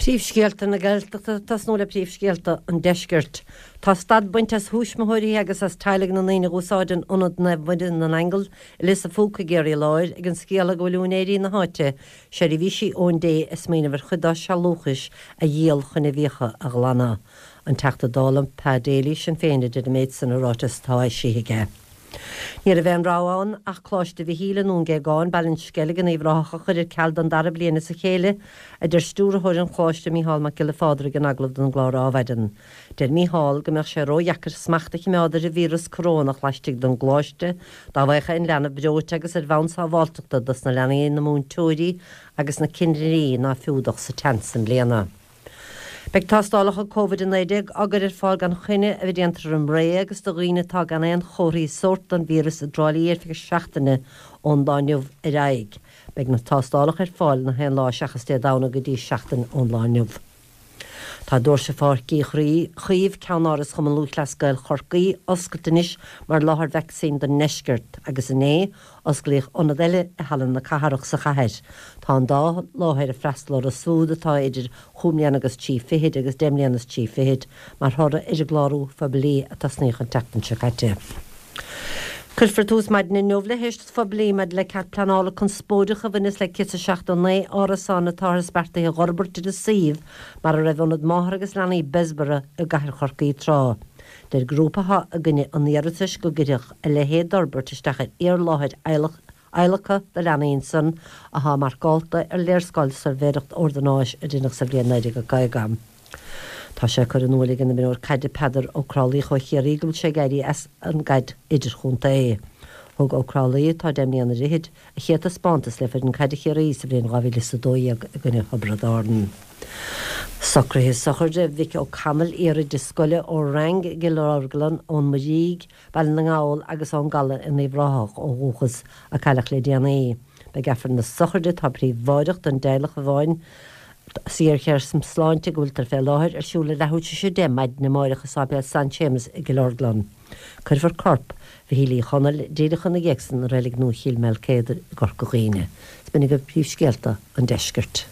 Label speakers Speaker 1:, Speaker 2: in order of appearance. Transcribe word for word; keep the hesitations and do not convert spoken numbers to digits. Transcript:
Speaker 1: Príomhscéalta na Gaeltachta tosnú le príomhscéalta an deiscirt. Tá stad bainte as thuismitheoirí agus as teaghlaigh na ndaoine a úsáideann Ionad Naomh Muire na nAingeal i Lios an Phúca i gCiarraí Láir ag an scéala go bhfuil úinéirí na háite seirbhísí Eoin Dé ag smaoineamh ar chuid dá sealúchais a dhíol chun a bhfiacha a ghlanadh. An Teachta Dála Pa Daly Sinn Féin a deir an méid san i ráiteas atá eisithe aige. Ní raibh aon rogha ann ach Coláiste Mhichíl i nDún Géagáin, Baile an Sceilg in Uíbh Ráthach a chur ar ceal don dara bliain as a chéile, a deir stiúrthóir an Choláiste Mícheál Mac Giolla Phádraig in agallamh don gclár Adhmhaidin. Deir Mícheál go mbeadh sé ródheacair smacht a choimeád ar an víreas corónach laistigh den gcoláiste dá bhfaigheadh aon leanbh breoite agus ar bhonn sábháilteachta dos na leanaí, na múinteoirí agus na cinnirí ná fuadach sa teannas i mbliana. Beidh tástálacha Covid a naoi déag á gcur ar fáil gan choinne a bheith déanta ar an mBré agus do dhaoine atá gan aon chomharthaí sóirt don víreas i dTrá Lí ar feadh seachtaine ón lá inniu ar aghaidh. Beidh na tástálacha ar fáil na haon lá seachas Dé Domhnaigh go dtí seachtain ón lá inniu. Tá doirse Pháirc Uí Chaoimh, ceannáras Chumann Lúthchleas Gael Chorcaí, oscailte anois mar láthair vacsaín don ndeisceart agus inné osclaíodh ionad eile i Halla na Cathrach sa chathair. Tá an dá láthair ag freastal orthu siúd atá idir chúig mbliana agus trí fichid agus deich mbliana is trí fichid mar thoradh ar an gclárú phoiblí a tosnaíodh an tseachtain seo caite. Cuirfear tús maidin inniu le héisteacht phoiblí maidir le cead pleanála conspóideach a bhaineas le céad is seachtó naoi árasán atá beartaithe a fhorbairt ar an suíomh mar a raibh ionad máthar agus leanaí Bessborough i gcathair Chorcaí tráth. Deir grúpa atá i gcoinne an iarratais go gcuirfeadh a leithéid d'fhorbairt isteach ar fhíorláthair adhlactha do leanaí ansan atá marcáilte ar léarscáil suirbhéireacht ordanáis a rinneadh sa bhliain naoi déag caoga. Tá sé curtha in iúl ag an imreoir caide Peadar Ó Crálaí ó Chiarraí go bhfuil sé ag éirí as an gcaid idirchontae. Thug Ó Crálaí atá deich mbliana ar fhichid a chéad taispeántas le foireann caide Chiarraí sa bhliain dhá mhíle is a dó dhéag i gcoinne Thiobraid Árann. Socruithe sochraide Mhick O'Connell iar-oide scoile ó Rang i gCill Orglan ón Muirígh, Baile na nGall agus ón gCaladh in Uíbh Ráthach ó dhúchas a cailleadh le déanaí. Beidh Aifreann na sochraide atá príobháideach don teaghlach amháin sa ghéarchéim sláinte go bhfuiltear fé láthair ar siúl ag leathuair tar éis a deich maidin amárach i Sáipéal San Séamus i gCill Orglan. Cuirfear corp Mhichíl Uí Chonaill díreach ina dhiaidh san i reilig nua Chill Maoilcéadair i gCorca Dhuibhne. Is b'in agaibh príomhscéalta an deiscirt.